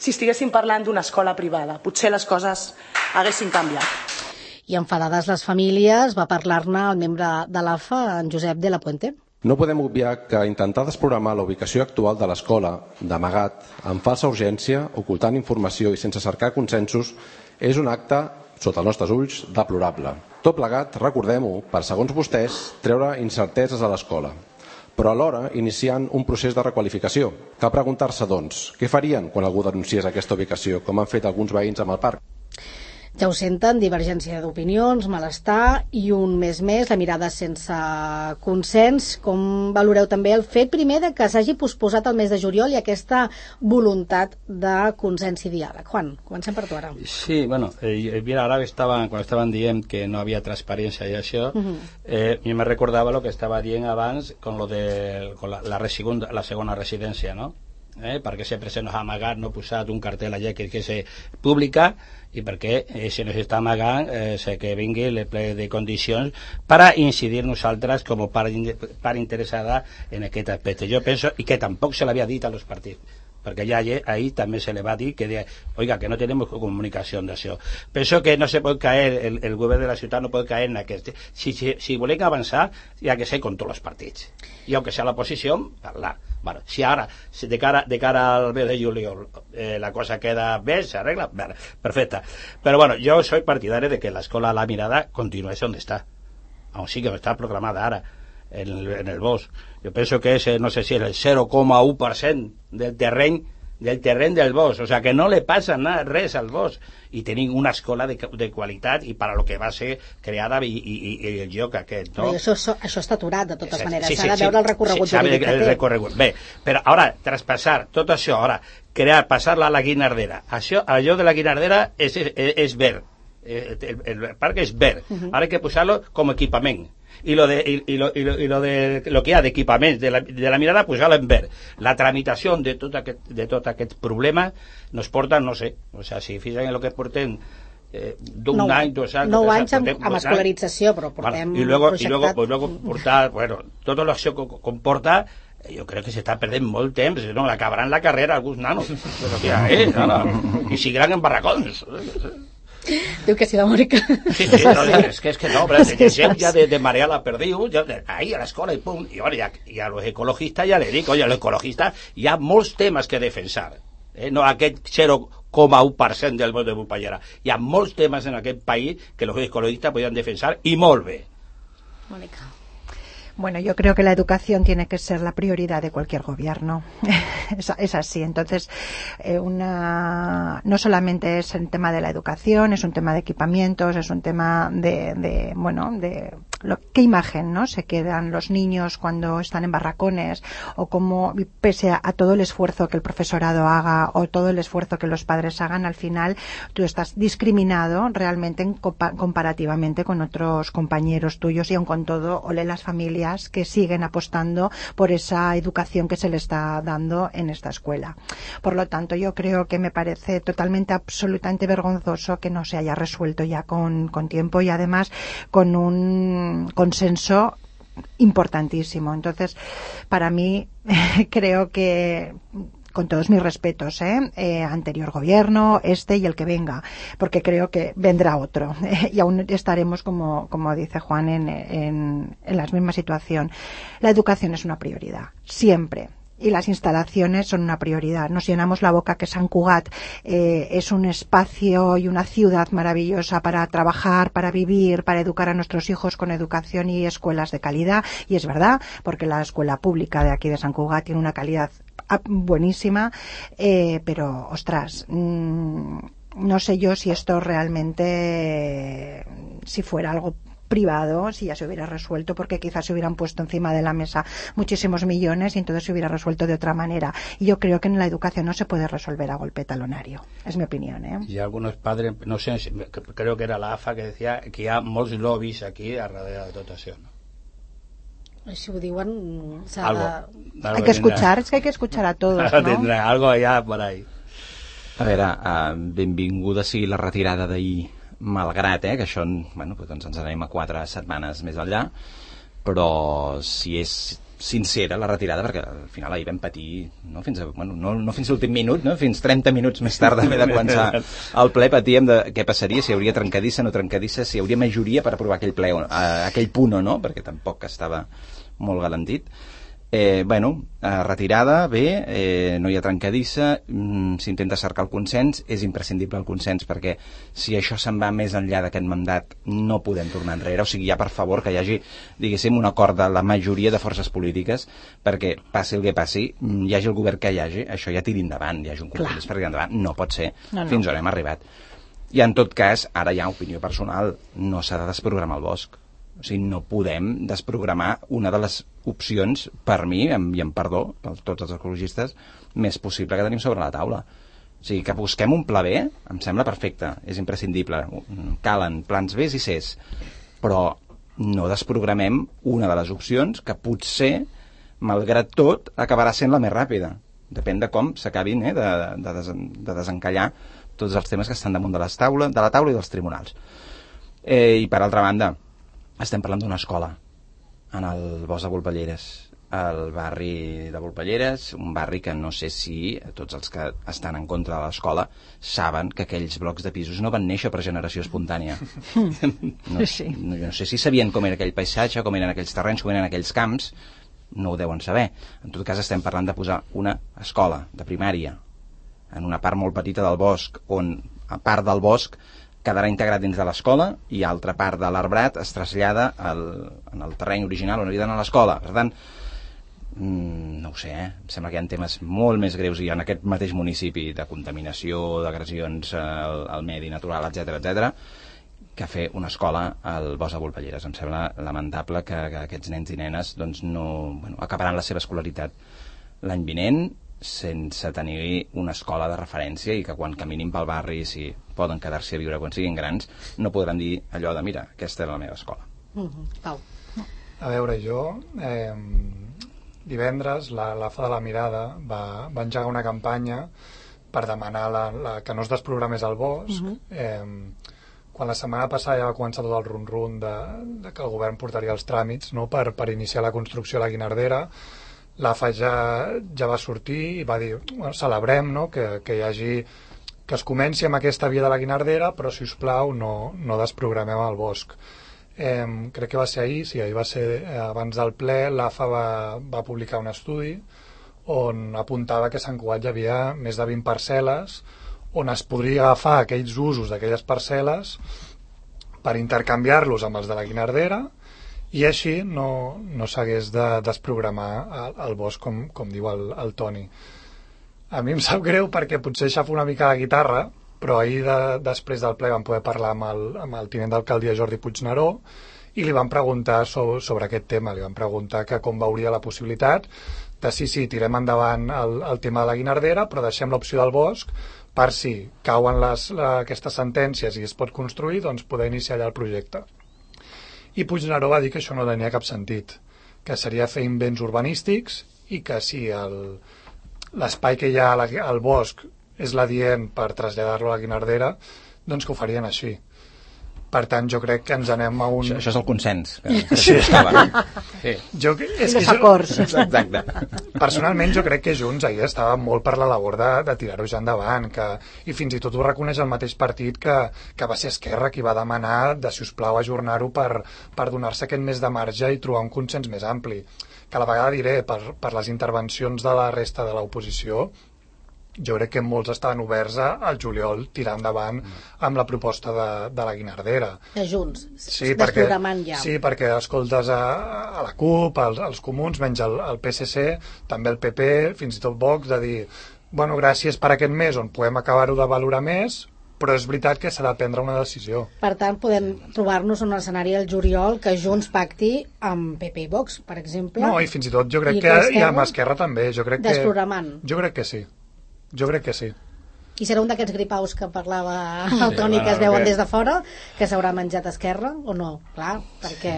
si estiguéssim parlant d'una escola privada. Potser les coses haguessin canviat. I enfadades les famílies, va parlar-ne el membre de l'A F A, en Josep de la Puente. No podem obviar que intentar desprogramar la ubicació actual de l'escola, d'amagat, amb falsa urgència, ocultant informació i sense cercar consensos, és un acte, sota els nostres ulls, deplorable. Tot plegat, recordem-ho, per segons vostès, treure incerteses a l'escola, però alhora iniciant un procés de requalificació. Cal preguntar-se, doncs, què farien quan algú denunciés aquesta ubicació, com han fet alguns veïns amb el parc? Ja ho senten, divergència d'opinions, malestar i un mes més, la mirada sense consens. Com valoreu també el fet primer de que s'hagi posposat el mes de juliol i aquesta voluntat de consens i diàleg? Juan, comencem per tu ara. Sí, bueno, eh, mira, ara estaven, quan estaven dient que no havia transparència i això, uh-huh. eh, mi me recordava lo que estava dient abans con lo de con la, la, segunda, la segona residència, no? Eh, perquè sempre se nos ha amagat, no ha posat un cartell allà que és pública, i perquè eh, se nos està amagant eh, que vingui el ple de condicions per a incidir nosaltres com a part, part interessada en aquest aspecte. Jo penso, i que tampoc se l'havia dit a los partits, perquè ja ahí també se le va dir que de, oiga, que no tenemos comunicació d'això. Penso que no se pot caer, el, el govern de la ciutat no pot caer en aquest. Si, si, si volem avançar, hi ha que ser con tots els partits. I aunque sea l'oposició, parlar. Bueno, si ara, si de cara, de cara al mes de juliol eh, la cosa queda bé, se arregla, bueno, perfecta. Pero bueno, yo soy partidario de que la escuela La Mirada continúe donde está, aún sí que no está proclamada ahora en el, en el bosc. Yo pienso que es, no sé si es el cero coma u per cent del terreny del terreny del bosc, o sea que no le passa nada, res al bosc, i tenim una escola de, de qualitat i per a lo que va ser creada i, i, i el lloc aquest, no? Però això, això, això està aturat de totes sí, maneres, sí, s'ha sí, de veure sí, el recorregut sí, jurídic que el té. Recorregut. Bé, però ara, traspassar tot això, ara, crear, passar-la a la Guinardera, això, allò de la Guinardera és, és, és verd, el, el parc és verd, uh-huh. Ara hay que posar-lo com equipament. Y lo de y, y lo, y lo, y lo de lo que hi ha d'equipaments de, la, de la Mirada, pues ja l'hem verd. La tramitació de tot aquest, de tot aquest problema nos porta, no sé, o sea, si fixen en lo que portem eh, d'un no, any, dos anys, nou anys amb, amb escolarització, però portem bueno, y luego, projectat... y luego, pues luego portar, bueno, tot l'acció que comporta, jo crec que s'està perdent molt temps, no, l'acabaran la carrera alguns nanos, però que ja és, no, i seguiran en barracons. Diu que sí, la Mònica. Sí, sí, no, és que, és que no, però gent ja de, de marear la perdiu, ja, ahí a l'escola i pum, i, bueno, ja, i a los ecologistas ja le dic, oye, a los ecologistas hi ha molts temes que defensar, eh? No aquest zero coma u per cent del bosc de Bumpallera, hi ha molts temes en aquest país que los ecologistas podien defensar i molt bé. Mònica. Bueno, yo creo que la educación tiene que ser la prioridad de cualquier gobierno. es, es así. Entonces, eh, una, no solamente es el tema de la educación, es un tema de equipamientos, es un tema de, de bueno, de lo, qué imagen, ¿no? Se quedan los niños cuando están en barracones, o cómo, pese a, a todo el esfuerzo que el profesorado haga, o todo el esfuerzo que los padres hagan, al final tú estás discriminado realmente en, comparativamente con otros compañeros tuyos, y aun con todo, ole las familias familias que siguen apostando por esa educación que se le está dando en esta escuela. Por lo tanto, yo creo que me parece totalmente, absolutamente vergonzoso que no se haya resuelto ya con, con tiempo y además con un consenso importantísimo. Entonces, para mí, creo que, con todos mis respetos, ¿eh? Eh, anterior gobierno, este y el que venga, porque creo que vendrá otro eh, y aún estaremos, como, como dice Juan, en, en, en la misma situación. La educación es una prioridad, siempre. Y las instalaciones son una prioridad. Nos llenamos la boca que Sant Cugat eh, es un espacio y una ciudad maravillosa para trabajar, para vivir, para educar a nuestros hijos con educación y escuelas de calidad. Y es verdad, porque la escuela pública de aquí de Sant Cugat tiene una calidad buenísima, eh, pero, ostras, mmm, no sé yo si esto realmente, si fuera algo privado, si ya se hubiera resuelto, porque quizás se hubieran puesto encima de la mesa muchísimos millones y entonces se hubiera resuelto de otra manera. Y yo creo que en la educación no se puede resolver a golpe talonario. Es mi opinión, ¿eh? Y algunos padres, no sé, creo que era la A F A que decía que hi ha molts lobbies aquí a darrere de tot això, no? Si ho diuen, s'ha algo, de... algo hay que escuchar, es que hay que escuchar a todos, ¿no? Tendrá algo allá por ahí. A veure, uh, benvinguda sigui la retirada d'ahir, malgrat eh, que això, bueno, doncs ens anem a quatre setmanes més enllà, però si és sincera la retirada, perquè al final ahir vam patir, no fins a, bueno, no, no fins a l'últim minut, no? Fins trenta minuts més tard d'haver de començar el ple, patíem de què passaria, si hi hauria trencadissa, no trencadissa, si hi hauria majoria per aprovar aquell ple, eh, aquell punt o no, perquè tampoc estava molt garantit. Eh, bueno, eh, retirada, bé, eh, no hi ha trencadissa, mm, s'intenta cercar el consens, és imprescindible el consens perquè si això se'n va més enllà d'aquest mandat no podem tornar enrere, o sigui, ja per favor que hi hagi, diguéssim, un acord de la majoria de forces polítiques perquè passi el que passi, hi hagi el govern que hi hagi, això ja tiri endavant, hi hagi un compromís per tirar endavant, no pot ser, no, no. Fins on hem arribat. I en tot cas, ara hi ha opinió personal, no s'ha de desprogramar el bosc. O sigui, no podem desprogramar una de les opcions, per mi, i en perdó, per tots els ecologistes, més possible que tenim sobre la taula. O sigui, que busquem un pla B, em sembla perfecte, és imprescindible. Calen plans Bs i Cs, però no desprogramem una de les opcions que potser, malgrat tot, acabarà sent la més ràpida. Depèn de com s'acabin eh, de, de, des, de desencallar tots els temes que estan damunt de, les taula, de la taula i dels tribunals. Eh, I per altra banda, estem parlant d'una escola en el bosc de Volpelleres, el barri de Volpelleres, un barri que no sé si tots els que estan en contra de l'escola saben que aquells blocs de pisos no van néixer per generació espontània. No, sí. no, no sé si sabien com era aquell paisatge, com eren aquells terrenys, com eren aquells camps, no ho deuen saber. En tot cas estem parlant de posar una escola de primària en una part molt petita del bosc, on a part del bosc quedarà integrat dins de l'escola i altra part de l'arbrat es trasllada al, en el terreny original on havia d'anar a l'escola. Per tant, mmm, no ho sé, eh? Em sembla que hi ha temes molt més greus i en aquest mateix municipi de contaminació, d'agressions al, al medi natural, etcètera, etcètera, que fer una escola al bosc de Volpelleres. Em sembla lamentable que, que aquests nens i nenes doncs, no, bueno, acabaran la seva escolaritat l'any vinent sense tenir una escola de referència i que quan caminin pel barri, si poden quedar-s'hi a viure quan siguin grans, no podran dir allò de mira, aquesta era la meva escola. Mm-hmm. Pau. A veure, jo eh, divendres la, la F A de la Mirada va, va engegar una campanya per demanar la, la, que no es desprogramés el bosc. Mm-hmm. eh, quan la setmana passada ja va començar tot el run-run de, de que el govern portaria els tràmits, no?, per, per iniciar la construcció a la Guinardera, l'A F A ja, ja va sortir i va dir, bueno, celebrem, no?, que, que hi hagi, que es comenci amb aquesta via de la Guinardera, però si us plau no, no desprogramem el bosc. Eh, crec que va ser ahir, sí, ahir va ser eh, abans del ple, l'A F A va, va publicar un estudi on apuntava que a Sant Cugat hi havia més de vint parcel·les on es podria agafar aquells usos d'aquelles parcel·les per intercanviar-los amb els de la Guinardera i així no, no s'hagués de desprogramar el, el bosc, com, com diu el, el Toni. A mi em sap greu perquè potser xafo una mica la guitarra, però ahir de, després del ple vam poder parlar amb el, amb el tinent d'alcaldia Jordi Puigneró i li vam preguntar sobre, sobre aquest tema, li vam preguntar que com veuria la possibilitat de sí, sí, tirem endavant el, el tema de la Guinardera, però deixem l'opció del bosc per si cauen les, la, aquestes sentències i es pot construir, doncs poder iniciar allà el projecte. I Puigneró va dir que això no tenia cap sentit, que seria fer invents urbanístics i que si el, l'espai que hi ha al bosc és l'adient per traslladar-lo a la Guinardera, doncs que ho farien així. Per tant, jo crec que ens anem a un... Això, això és el consens. Que, que sí. sí. Jo, és I els acords. Exacte. Personalment, jo crec que Junts ahir estava molt per la labor de, de tirar-ho ja endavant, que, i fins i tot ho reconeix el mateix partit que, que va ser Esquerra qui va demanar de, si us plau, ajornar-ho per, per donar-se aquest mes de marge i trobar un consens més ampli. Que a la vegada diré, per, per les intervencions de la resta de l'oposició, jo crec que molts estaven oberts al juliol tirar endavant amb la proposta de, de la Guinardera. De Junts, sí, perquè, ja. Sí, perquè escoltes a, a la CUP, als, als comuns, menys el, el P S C, també el P P, fins i tot Vox, de dir, bueno, gràcies per aquest mes on podem acabar-ho de valorar més, però és veritat que s'ha de prendre una decisió. Per tant, podem trobar-nos en un escenari al juliol que Junts pacti amb P P i Vox, per exemple. No, i fins i tot jo crec que, i amb Esquerra també. Jo crec que, desprogramant. Jo crec que sí. Jo crec que sí. I serà un d'aquests gripaus que parlava el Toni, sí, que es veuen que... des de fora, que s'haurà menjat Esquerra o no? Clar, perquè...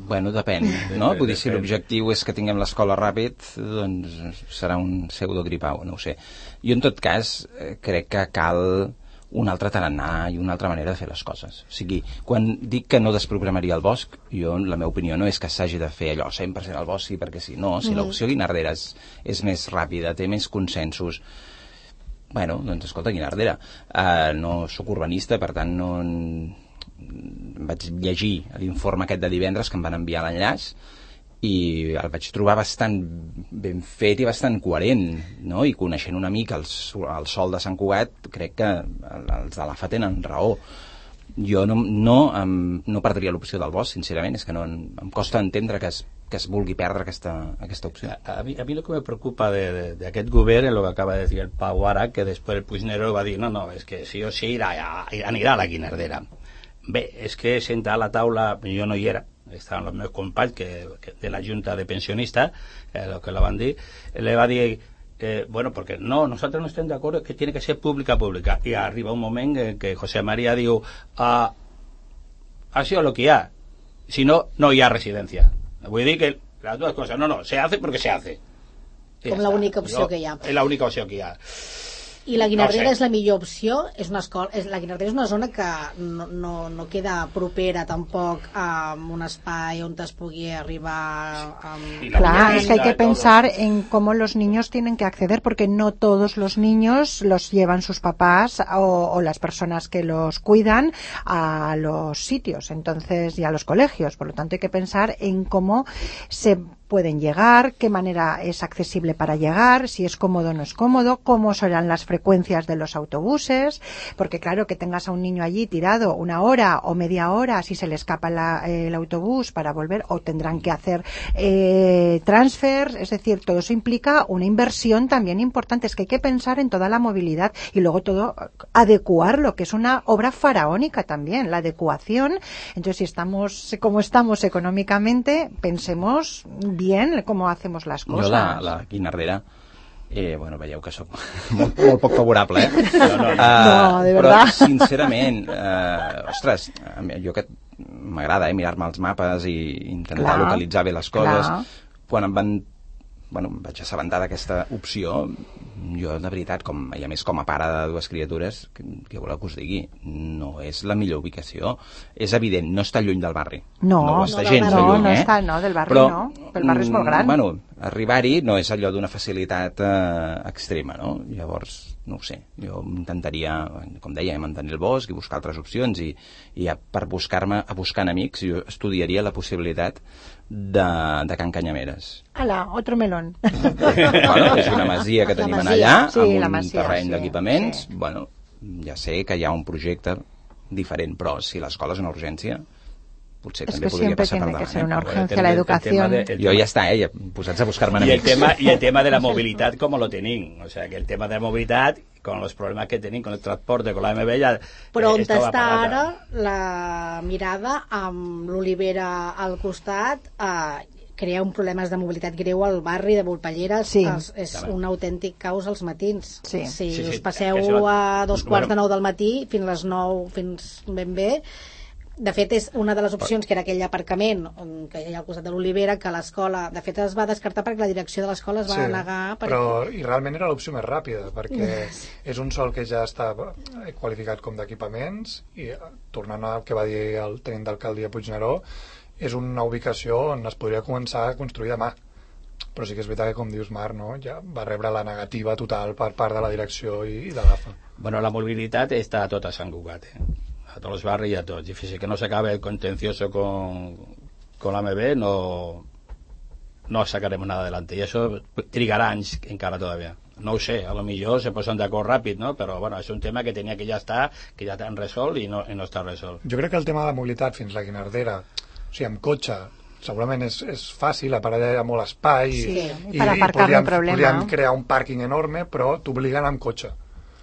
Bueno, depèn, no? Vull dir, si l'objectiu és que tinguem l'escola ràpid, doncs serà un pseudogripau, no ho sé. Jo, en tot cas, crec que cal un altre tarannà i una altra manera de fer les coses. O sigui, quan dic que no desprogramaria el bosc, jo, la meva opinió no és que s'hagi de fer allò cent per cent al bosc, sí, perquè sí. No, si mm. l'opció Guinardera és, és més ràpida, té més consensos, bueno, doncs escolta, Guinardera. Uh, no sóc urbanista, per tant no... Vaig llegir l'informe aquest de divendres que em van enviar l'enllaç i el vaig trobar bastant ben fet i bastant coherent, no? I coneixent una mica el, el sòl de Sant Cugat, crec que els de l'A F A tenen raó. Jo no, no, em, no perdria l'opció del bosc, sincerament, és que no, em costa entendre que es, que es vulgui perdre aquesta, aquesta opció. A, a, mi, a mi lo que me preocupa d'aquest govern es lo que acaba de decir el Pau ara, que després el Puigneró va dir, no, no, és que sí o sí irà, anirà a la Guinardera. Bé, és que sentar a la taula, jo no hi era, estaven els meus companys que, que de la Junta de Pensionistas, eh, lo que la van dir, le va dir, eh, bueno, porque no, nosotros no estamos de acuerdo que tiene que ser pública, pública. Y arriba un momento en que José María dijo, ah, ha sido lo que ha, si no, no hi ha residencia. Vull dir que las dues coses, no, no, se hace porque se hace. Com l'única opció jo, que hi ha. És l'única opció que hi ha. I la Guinardera no sé. És la millor opció, és una escola, és, la Guinardera és una zona que no, no, no queda propera tampoc a un espai on es pugui arribar amb... Claro, es que hay que pensar en cómo los niños tienen que acceder, porque no todos los niños los llevan sus papás o, o las personas que los cuidan a los sitios, entonces, y a los colegios, por lo tanto hay que pensar en cómo se pueden llegar, qué manera es accesible para llegar, si es cómodo o no es cómodo, cómo serán las frecuencias de los autobuses, porque claro, que tengas a un niño allí tirado una hora o media hora si se le escapa la, eh, el autobús para volver, o tendrán que hacer eh, transfers, es decir, todo eso implica una inversión también importante, es que hay que pensar en toda la movilidad y luego todo adecuarlo, que es una obra faraónica también, la adecuación. Entonces, si estamos como estamos económicamente, pensemos bien cómo hacemos las cosas. Jo la, la Guinardera, eh, bueno, veieu que soc molt, molt poc favorable, eh? No, no, no. Uh, no de però, verdad. sincerament, uh, ostres, jo que m'agrada eh, mirar-me els mapes i intentar clar, localitzar bé les coses. Clar. Quan em van bueno, em vaig assabentar d'aquesta opció, jo de veritat, com, i a més com a pare de dues criatures, que, que voleu que us digui, no és la millor ubicació. És evident, no està lluny del barri. No, no, no està no, gens no, lluny, no eh? està, no, del barri però, no, el barri és molt gran. Bueno, arribar-hi no és allò d'una facilitat eh, extrema, no? Llavors, no ho sé, jo intentaria, com deia, mantenir el bosc i buscar altres opcions i, i a, per buscar-me, a buscar amics, jo estudiaria la possibilitat de, de Can Canyameres. Ala, otro melón. Bueno, és una masia que tenim allà, sí, amb un masia, terreny sí, d'equipaments. Sí. Bueno, ja sé que hi ha un projecte diferent, però si l'escola és una urgència, potser es també que podria passar per tiene davant. que ser una eh? urgencia la educación. De, jo ja està, eh, posats a buscar-me y el amics. tema y el tema de la movilidad como lo tenim, o sea que el tema de la movilidad con los problemas que tenim con el transporte, con la M B ya però eh, on està ara la mirada amb l'Olivera al costat, eh, crea un problemes de mobilitat greu al barri de Volpelleres, sí. els, és un autèntic caos als matins. Sí. Si sí, sí, us passeu això... a dos quarts bueno. de nou del matí fins les nou, fins ben bé, de fet és una de les opcions que era aquell aparcament que hi ha al costat de l'Olivera, que l'escola de fet es va descartar perquè la direcció de l'escola es va sí, negar perquè... però i realment era l'opció més ràpida perquè és un sòl que ja està qualificat com d'equipaments i tornant al que va dir el tenint d'alcaldia Puigneró, és una ubicació on es podria començar a construir demà, però sí que és veritat que, com dius, Marc, no? Ja va rebre la negativa total per part de la direcció i, i de l'A F A. Bueno, la movilidad está a tot a Sant Cugat, eh? A todos los barrios y a todos. Y fíjese que no se acabe el contencioso con, con la M B, no, no sacaremos nada adelante. Y eso trigarà anys encara todavía. No ho sé, a lo millor se posen d'acord ràpid, no? Però bueno, és un tema que tenia que ja estar, que ja t'han resolt i no, i no està resolt. Jo crec que el tema de la mobilitat fins la Guinardera, o sigui, amb cotxe, segurament és, és fàcil, a part hi ha molt espai sí, i, i, i podríem, podríem crear un pàrquing enorme, però t'obliguen amb cotxe.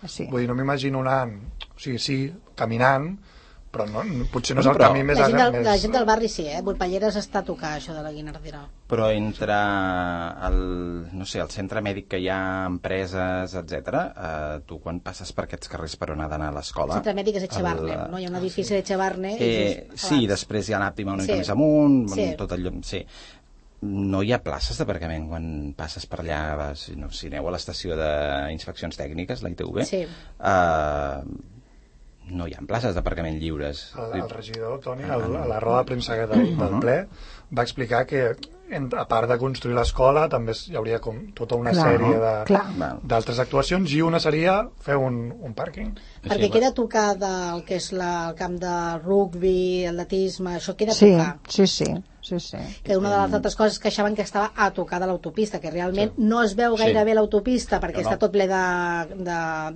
Sí. Vull dir, no m'imagino anant, o sigui, sí, caminant, però no, potser no és el però, camí més... La gent, del, més... la gent del barri sí, eh? Volpelleres està a tocar això de la Guinardera. Però entre el, no sé, el centre mèdic que hi ha, empreses, etcètera, eh, tu quan passes per aquests carrers per on ha d'anar a l'escola... El centre mèdic és Echevarne, el, no? Hi ha un edifici sí. d'Echevarne... Eh, sí, després hi ha l'Àptima una mica sí. més amunt, sí. tot allò... Sí. No hi ha places d'aparcament quan passes per allà, vas, no, si aneu a l'estació d'inspeccions tècniques, la I T V, sí. eh, no hi ha places d'aparcament lliures. El, el regidor, Toni, el, a la roda de premsa del, del ple, va explicar que a part de construir l'escola també hi hauria com tota una clar, sèrie d'altres actuacions i una seria fer un, un pàrquing. Perquè sí, queda tocar del que és la, el camp de rugby, atletisme, això queda sí, tocar. Sí, sí, sí, sí. Que una de les altres coses que queixaven que estava a tocar de l'autopista, que realment sí. no es veu gaire bé sí. l'autopista perquè no, no. està tot ple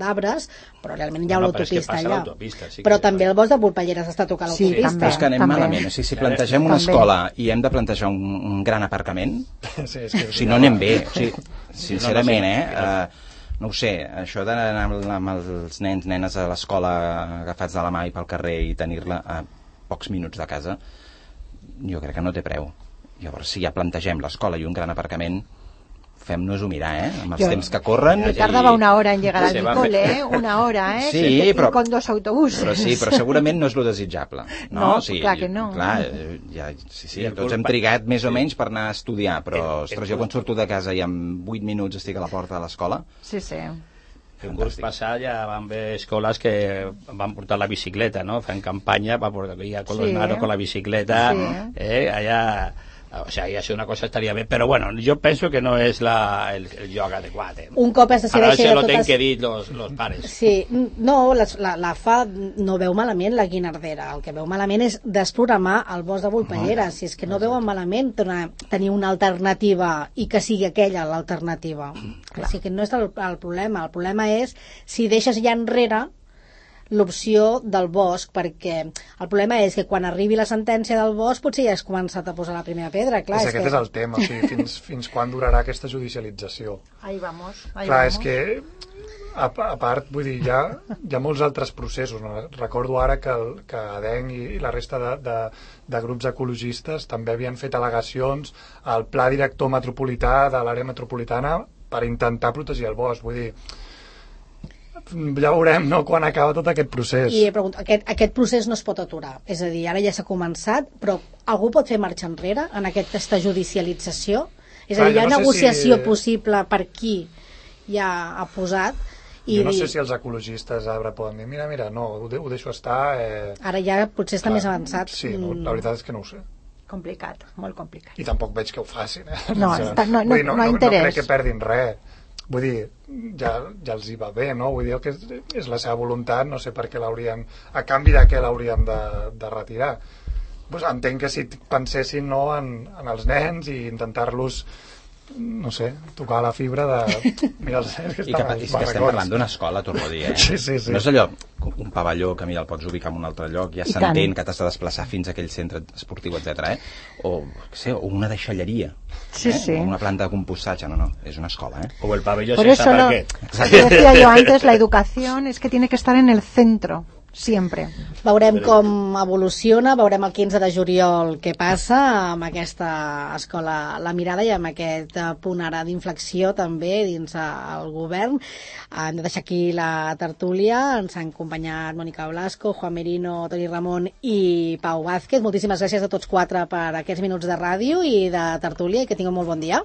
d'arbres, però realment hi ha no, no, l'autopista allà. Sí però també el bosc de Volpelleres està a tocar sí, l'autopista. Però és que anem també. malament. O sigui, si plantegem una també. escola i hem de plantejar un, un gran aparcament, sí, és que o sigui, no anem bé. O sigui, sincerament, eh? Uh, no ho sé, això d'anar amb els nens, nenes a l'escola agafats de la mà i pel carrer i tenir-la a pocs minuts de casa, jo crec que no té preu. Llavors, si ja plantegem l'escola i un gran aparcament, fem-nos-ho mirar, eh? Amb els jo, temps que corren... Me tardava i... una hora en llegar al cole, eh? Una hora, eh? Sí, sí però... Con dos autobusos. Però sí, però segurament no és lo desitjable. No, no sí, clar que no. Clar, ja, sí, sí, tots hem trigat més o menys per anar a estudiar, però, ostres, jo quan surto de casa i en vuit minuts estic a la porta de l'escola... Sí, sí. El curs passat ja van haver escoles que van portar la bicicleta, no? Fan campanya per portar a con los sí. nanos con la bicicleta, sí. eh? Allà... O sea, ya si una cosa estaría bien, pero bueno, yo pienso que no es la, el, el lloc adequat. Eh? Un cop es decideix... Ara se lo totes... tenen que dir los, los pares. Sí, no, la, la, la fa no veu malament la Guinardera, el que veu malament és desprogramar el bosc de Volpelleres, no. Si és que no veuen malament tenir una alternativa i que sigui aquella l'alternativa. Així que no és el, el problema, el problema és si deixes ja enrere l'opció del bosc, perquè el problema és que quan arribi la sentència del bosc potser ja has començat a posar la primera pedra. Clar, és, és aquest que... és el tema, o sigui, fins, fins quan durarà aquesta judicialització. Ahí vamos, ahí clar, vamos. És que a, a part, vull dir, hi ha, hi ha molts altres processos, no? Recordo ara que, el, que ADENC i, i la resta de, de, de grups ecologistes també havien fet al·legacions al pla director metropolità de l'àrea metropolitana per intentar protegir el bosc, vull dir, ja veurem, no?, quan acaba tot aquest procés. I pregunto, aquest, aquest procés no es pot aturar, és a dir, ara ja s'ha començat, però algú pot fer marxa enrere en aquesta judicialització? És a dir, hi ha no negociació si... possible per qui ja ha posat? I jo no dir... sé si els ecologistes ara poden dir, mira, mira, no, ho, de, ho deixo estar... Eh... Ara ja potser està clar, més avançat. Sí, no, la veritat és que no ho sé. Complicat, molt complicat. I tampoc veig que ho facin, eh? No, està, no, no, dir, no, no, no, interès. No crec que perdin res. Vull dir, ja, ja els hi va bé, no? Vull dir, que és, és la seva voluntat, no sé per què l'haurien... A canvi de què l'haurien de, de retirar. Pues entenc que si pensessin, no, en, en els nens i intentar-los, no sé, tocar la fibra de... Mira els nens que estan... I que, que estem parlant d'una escola, torno a dir, eh? Sí, sí, sí. No és allò, un pavelló que, mira, el pots ubicar en un altre lloc, ja s'entén que t'has de desplaçar fins a aquell centre esportiu, etcètera, eh? O, què sé, o una deixalleria. Sí, ¿eh? sí. O una planta de compostatge, no, no, es una escuela, ¿eh? O el pabellón Por sin eso lo, parquet. Decía yo antes, la educación es que tiene que estar en el centro siempre. Veurem com evoluciona, veurem el quinze de juliol què passa amb aquesta escola La Mirada i amb aquest punt ara d'inflexió també dins el govern. Hem de deixar aquí la tertúlia, ens han acompanyat Mònica Blasco, Juan Merino, Toni Ramon i Pau Vázquez. Moltíssimes gràcies a tots quatre per aquests minuts de ràdio i de tertúlia i que tingueu molt bon dia.